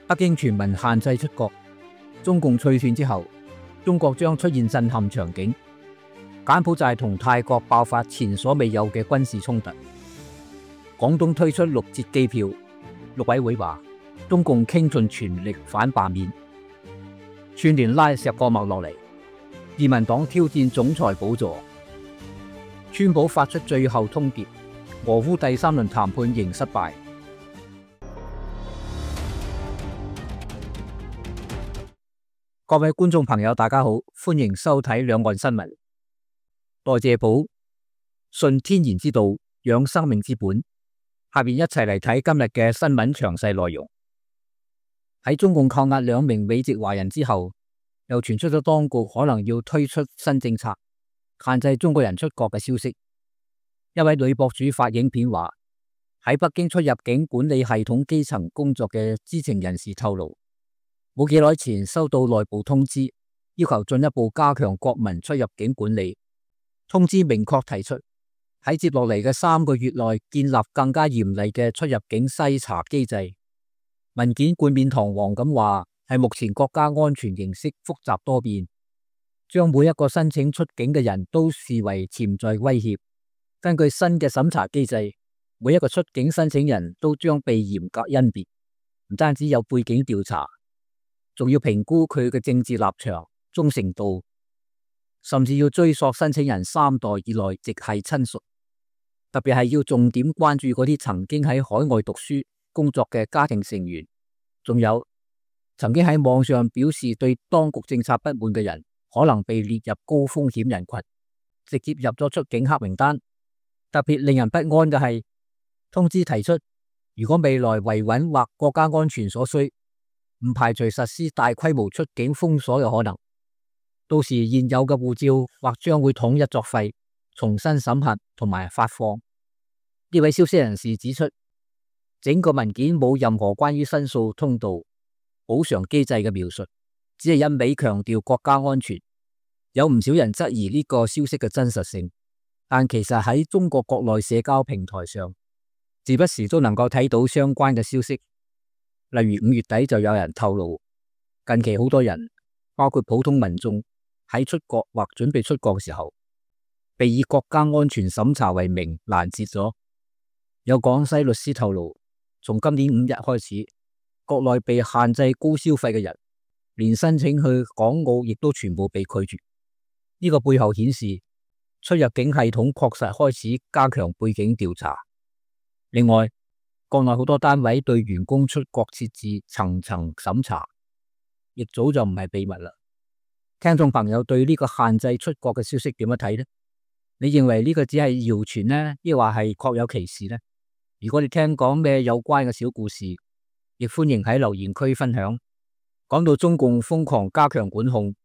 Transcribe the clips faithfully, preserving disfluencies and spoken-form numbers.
北京全民限制出國，中共脆斷之後，中國將出現震撼場景。柬埔寨同泰國爆發前所未有嘅軍事衝突。廣東推出六折機票，陸委會話中共傾盡全力反罷免。串聯拉石個脈落嚟，自民黨挑戰總裁寶座。川普發出最後通牒，俄烏第三輪談判仍失敗。各位觀眾朋友，大家好，歡迎收睇兩岸新聞。代謝寶，順天然之道，養生命之本。下面一齊嚟睇今日嘅新聞詳細內容。喺中共扣押兩名美籍華人之後，又傳出咗當局可能要推出新政策，限制中國人出國嘅消息。一位女博主發影片話，喺北京出入境管理系統基層工作嘅知情人士透露，冇幾耐前收到內部通知，要求進一步加強國民出入境管理。通知明確提出，喺接落嚟嘅三個月內建立更加嚴厲嘅出入境篩查機制。文件冠冕堂皇咁話，係目前國家安全形勢複雜多變，將每一個申請出境嘅人都視為潛在威脅。根據新嘅審查機制，每一個出境申請人都將被嚴格甄別，唔單止有背景調查，仲要評估佢嘅政治立場、忠誠度，甚至要追溯申請人三代以內直系親屬。特別係要重點關注嗰啲曾經喺海外讀書、工作嘅家庭成員，仲有曾經喺網上表示對當局政策不滿嘅人，可能被列入高風險人群，直接入咗出境黑名單。特別令人不安嘅係，通知提出，如果未來維穩或國家安全所需，唔排除實施大規模出境封鎖嘅可能。到時現有嘅護照或將會統一作廢，重新審核同埋發放。呢位消息人士指出，整個文件冇任何關於申訴通道、補償機制嘅描述，只係一味強調國家安全。有唔少人質疑呢個消息嘅真實性，但其實喺中國國內社交平台上，時不時都能夠睇到相關嘅消息。例如五月底就有人透露，近期好多人，包括普通民眾喺出國或準備出國嘅時候，被以國家安全審查為名攔截咗。有廣西律師透露，從今年五日開始，國內被限制高消費嘅人，連申請去港澳亦都全部被拒絕。呢個背後顯示，出入境系統確實開始加強背景調查。另外，國內好多單位對員工出國設置層層審查，亦早就唔係秘密啦。聽眾朋友對呢個限制出國嘅消息點樣睇呢？你認為呢個只係謠傳呢，抑或係確有其事呢？如果你聽講咩有關嘅小故事，亦歡迎喺留言區分享。講到中共瘋狂加強管控，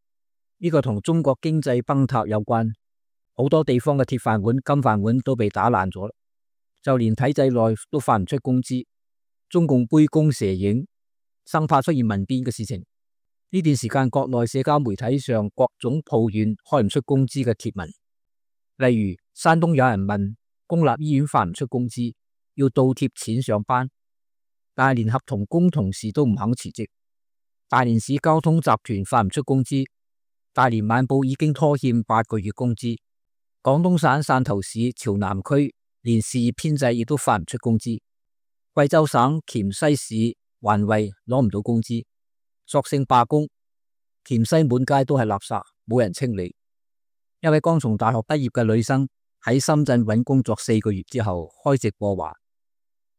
呢個同中國經濟崩塌有關。好多地方嘅鐵飯碗、金飯碗都被打爛咗，就連體制內都發唔出工資。中共杯弓蛇影，生怕出現民變嘅事情。呢段時間，國內社交媒體上各種抱怨開唔出工資嘅貼文，例如山東有人問公立醫院發唔出工資，要倒貼錢上班，但係連合同工同事都唔肯辭職。大連市交通集團發唔出工資，大連晚報已經拖欠八個月工資。廣東省汕頭市潮南區連事業編制亦都發唔出工資。貴州省黔西市環衛攞唔到工資，索性罷工。黔西滿街都係垃圾，冇人清理。一位剛從大學畢業嘅女生喺深圳揾工作四個月之後開直播話，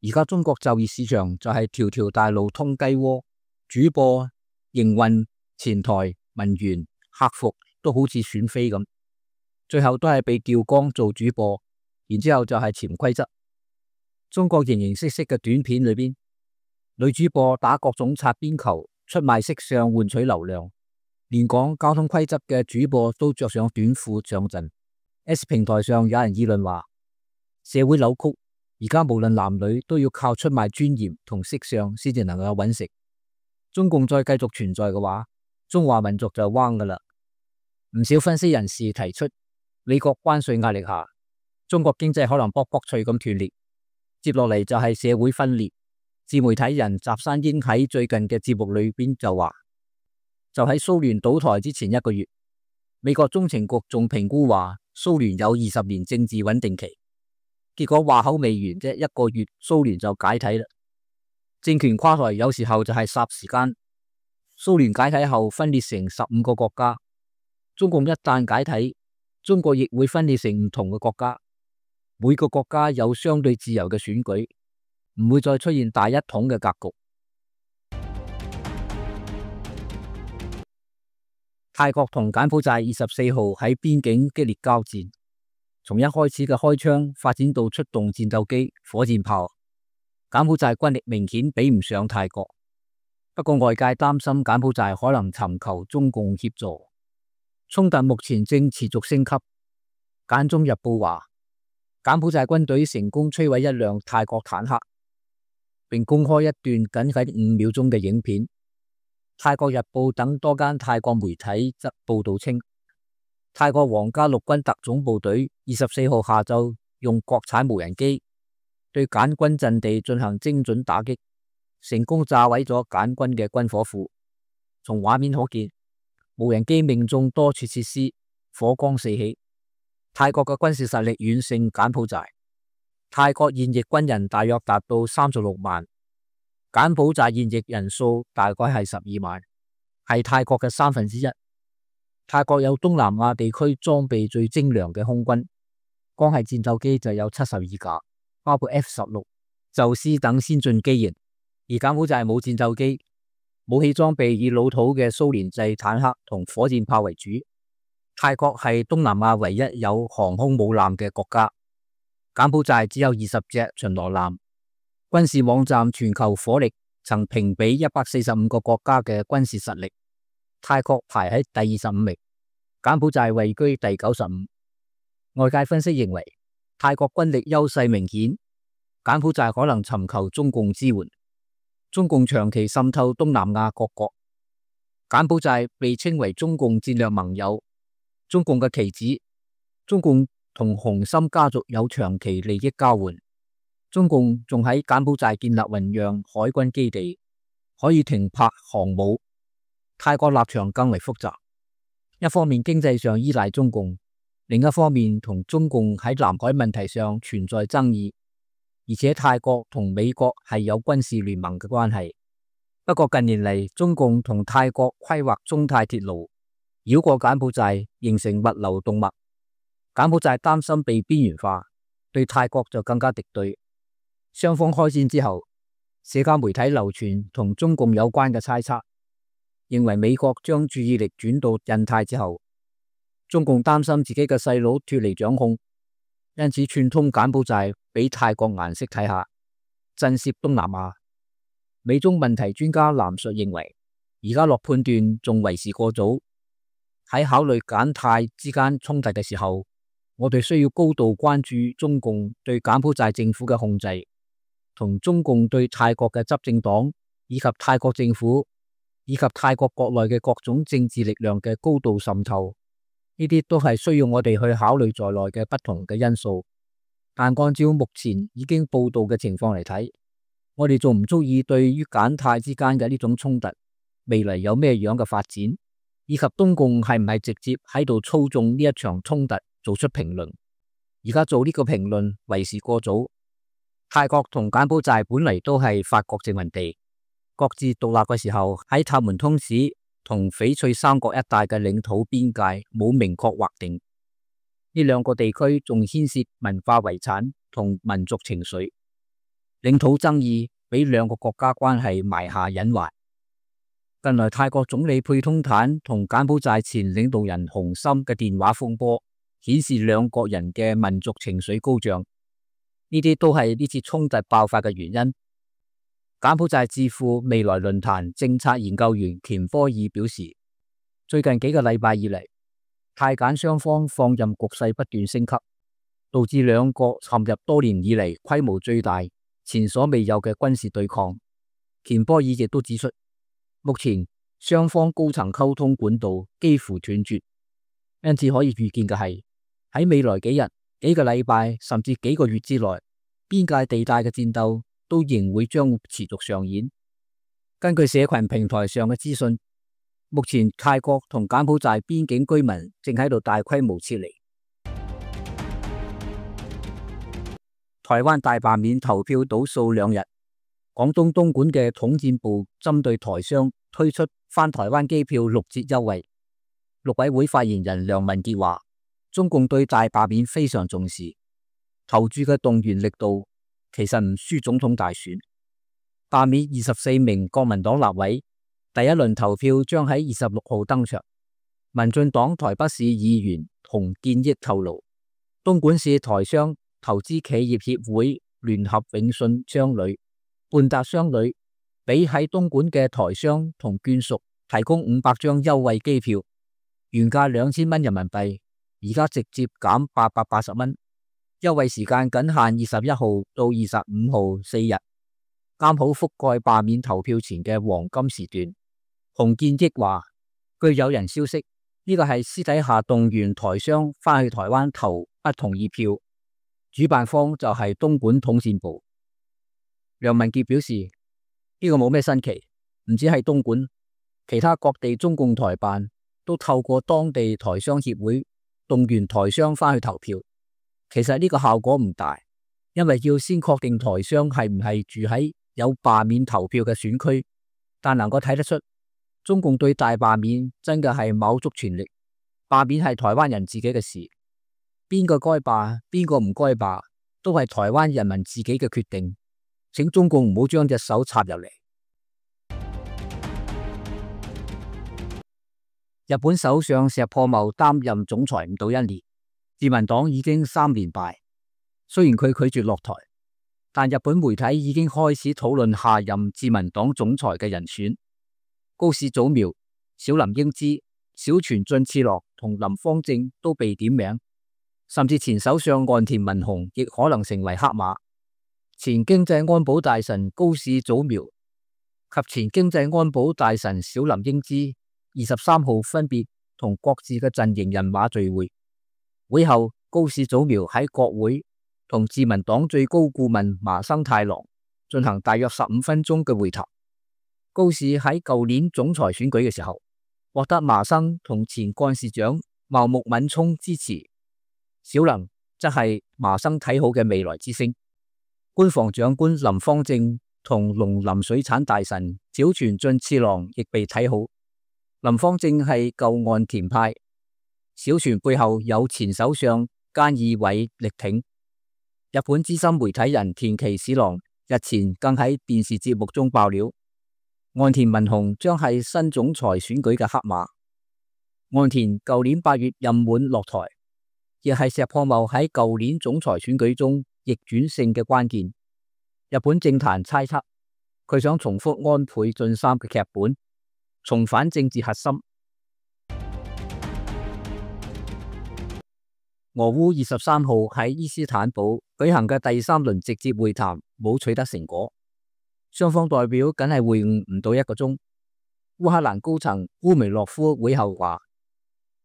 而家中國就業市場就係條條大路通雞窩，主播、營運、前台、文員、客服都好似選妃咁。最後都係被調崗做主播，然之後就係潛規則。中國形形色色嘅短片裏邊，女主播打各種擦邊球，出賣色相換取流量，連講交通規則嘅主播都着上短褲上陣。S 平台上有人議論話，社會扭曲，而家無論男女都要靠出賣尊嚴同色相先至能夠揾食。中共再繼續存在嘅話，中華民族就彎噶啦。唔少分析人士提出，美國關稅壓力下，中國經濟可能卜卜脆咁斷裂，接落嚟就係社會分裂。自媒體人集山英喺最近嘅節目裏邊就話，就喺蘇聯倒台之前一個月，美國中情局仲評估話蘇聯有二十年政治穩定期，結果話口未完啫，一個月蘇聯就解體啦。政權垮台有時候就係霎時間。蘇聯解體後分裂成十五個國家，中共一旦解體，中國亦會分裂成唔同嘅國家，每個國家有相對自由嘅選舉，唔會再出現大一統嘅格局。泰國同柬埔寨二十四號喺邊境激烈交戰，從一開始嘅開槍發展到出動戰鬥機、火箭炮，柬埔寨軍力明顯比唔上泰國。不過外界擔心柬埔寨可能尋求中共協助，衝突目前正持續升級。柬中日報話，柬埔寨軍隊成功摧毀一輛泰國坦克，並公開一段僅僅五秒鐘嘅影片。泰國日報等多間泰國媒體則報道稱，泰國皇家陸軍特種部隊二十四號下晝用國產無人機對柬軍陣地進行精準打擊，成功炸毀咗柬軍嘅軍火庫。從畫面可見，無人機命中多處設施，火光四起。泰國嘅軍事實力遠勝柬埔寨。泰國現役軍人大約達到三十六萬，柬埔寨現役人數大概係十二萬，係泰國嘅三分之一。泰國有東南亞地區裝備最精良嘅空軍，光係戰鬥機就有七十二架，包括 F 十六、宙斯等先進機型。而柬埔寨冇戰鬥機，武器裝備以老土嘅蘇聯製坦克同火箭炮為主。泰國係東南亞唯一有航空母艦嘅國家，柬埔寨只有二十隻巡邏艦。軍事網站全球火力曾評比一百四十五個國家嘅軍事實力，泰國排喺第二十五名，柬埔寨位居第九十五。外界分析認為，泰國軍力優勢明顯，柬埔寨可能尋求中共支援。中共長期滲透東南亞各國，柬埔寨被稱為中共戰略盟友。中共嘅棋子，中共同洪森家族有長期利益交換。中共仲喺柬埔寨建立雲壤海軍基地，可以停泊航母。泰國立場更為複雜，一方面經濟上依賴中共，另一方面同中共喺南海問題上存在爭議。而且泰國同美國係有軍事聯盟嘅關係。不過近年嚟，中共同泰國規劃中泰鐵路，繞過柬埔寨，形成物流動脈。柬埔寨擔心被邊緣化，對泰國就更加敵對。雙方開戰之後，社交媒體流傳同中共有關嘅猜測，認為美國將注意力轉到印太之後，中共擔心自己嘅細佬脫離掌控，因此串通柬埔寨俾泰國顏色睇下，震懾東南亞。美中問題專家藍述認為，而家落判斷仲為時過早。喺考慮柬泰之間衝突嘅時候，我哋需要高度關注中共對柬埔寨政府嘅控制，同中共對泰國嘅執政黨以及泰國政府以及泰國國內嘅各種政治力量嘅高度滲透。呢啲都係需要我哋去考慮在內嘅不同嘅因素。但按照目前已經報道嘅情況嚟睇，我哋仲唔足以對於柬泰之間嘅呢種衝突未來有咩樣嘅發展，以及東共係唔係直接喺度操縱呢一場衝突做出評論。而家做呢個評論為時過早。泰國同柬埔寨本嚟都係法國殖民地，各自獨立嘅時候喺塔門通史同翡翠三角一帶嘅領土邊界冇明確劃定。呢兩個地區仲牽涉文化遺產同民族情緒，領土爭議俾兩個國家關係埋下隱患。近來泰國總理佩通坦同柬埔寨前領導人洪森嘅電話風波，顯示兩國人嘅民族情緒高漲。呢啲都係呢次衝突爆發嘅原因。柬埔寨智庫未來論壇政策研究員乾科爾表示，最近幾個禮拜以嚟，泰柬雙方放任局勢不斷升級，導致兩國陷入多年以嚟規模最大、前所未有嘅軍事對抗。乾科爾亦都指出，目前雙方高層溝通管道幾乎斷絕，因此可以預見嘅係喺未來幾日、幾個禮拜甚至幾個月之內，邊界地帶嘅戰鬥都仍會將持續上演。根據社群平台上嘅資訊，目前泰國同柬埔寨邊境居民正喺度大規模撤離。台灣大罷免投票倒數兩日，廣東東莞嘅統戰部針對台商推出返台灣機票六折優惠。陸委會發言人梁文傑話，中共對大罷免非常重視，投注嘅動員力度其實唔輸總統大選。罷免二十四名國民黨立委，第一輪投票將喺二十六號登場。民進黨台北市議員洪建益透露，東莞市台商投資企業協會聯合永信商旅、半達商旅俾喺東莞嘅台商同眷屬提供五百張優惠機票，原價兩千蚊人民幣，而家直接減八百八十蚊。優惠時間僅限二十一號到二十五號四日，啱好覆蓋罷免投票前嘅黃金時段。洪建益話，據有人消息，呢個係私底下動員台商返去台灣投不同意票。主辦方就係東莞統戰部。梁文傑表示，呢個冇咩新奇，唔止係東莞，其他各地中共台辦都透過當地台商協會動員台商返去投票。其實呢個效果唔大，因為要先確定台商係唔係住喺有罷免投票嘅選區，但能夠睇得出，中共對大罷免真嘅係卯足全力。罷免係台灣人自己嘅事。邊個該罷，邊個唔該罷，都係台灣人民自己嘅決定。請中共唔好將隻手插入嚟。日本首相石破茂擔任總裁唔到一年，自民黨已經三連敗。雖然佢拒絕落台，但日本媒體已經開始討論下任自民黨總裁嘅人選。高市早苗、小林英姿、小泉進次郎同林芳正都被點名。甚至前首相岸田文雄亦可能成為黑馬。前經濟安保大臣高市早苗及前經濟安保大臣小林英姿二十三號分別同各自嘅陣營人馬聚會。會後，高市早苗喺國會同自民黨最高顧問麻生太郎進行大約十五分鐘嘅會談。高市喺舊年總裁選舉嘅時候，獲得麻生同前幹事長茂木敏充支持。小林則係麻生睇好嘅未來之星。官房長官林芳正同農林水產大臣小泉進次郎亦被睇好。林芳正係舊岸田派，小泉背後有前首相菅義偉力挺。日本資深媒體人田崎史郎日前更喺電視節目中爆料，岸田文雄將係新總裁選舉嘅黑馬。岸田舊年八月任滿落台，亦係石破茂喺舊年總裁選舉中逆轉勝嘅關鍵。日本政壇猜測佢想重複安倍晉三嘅劇本，重返政治核心。俄烏二十三號喺伊斯坦堡舉行嘅第三輪直接會談冇取得成果，雙方代表僅係會晤唔到一個鐘。烏克蘭高層烏梅洛夫會後話：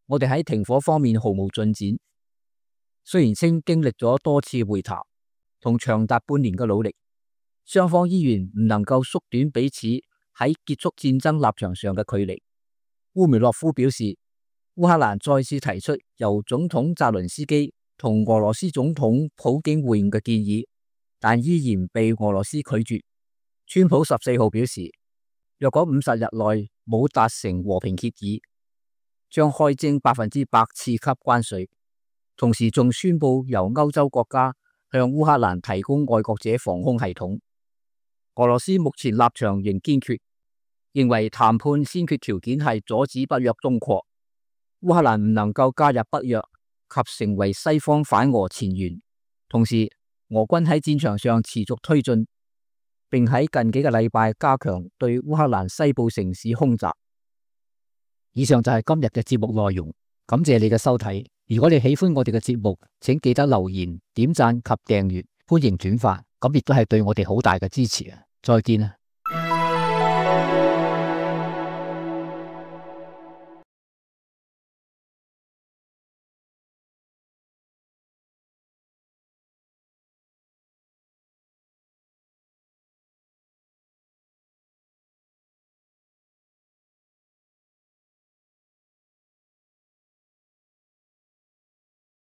我哋喺停火方面毫無進展。雖然稱經歷咗多次會談同長達半年嘅努力，雙方依然唔能夠縮短彼此喺結束戰爭立場上嘅距離。烏梅洛夫表示，烏克蘭再次提出由總統澤倫斯基同俄羅斯總統普京會晤嘅建議，但依然被俄羅斯拒絕。川普十四號表示，若果五十日內冇達成和平協議，將開徵百分之百次級關稅。同時仲宣布由歐洲國家向烏克蘭提供愛國者防空系統。俄羅斯目前立場仍堅決，認為談判先決條件係阻止北約東擴。烏克蘭唔能夠加入北約及成為西方反俄前沿。同時，俄軍喺戰場上持續推進，並喺近幾個禮拜加強對烏克蘭西部城市空襲。以上就係今日嘅節目內容，感謝你嘅收睇。如果你喜歡我哋嘅節目，請記得留言、點讚及訂閱，歡迎轉發，咁亦都係對我哋好大嘅支持啊！再見啊！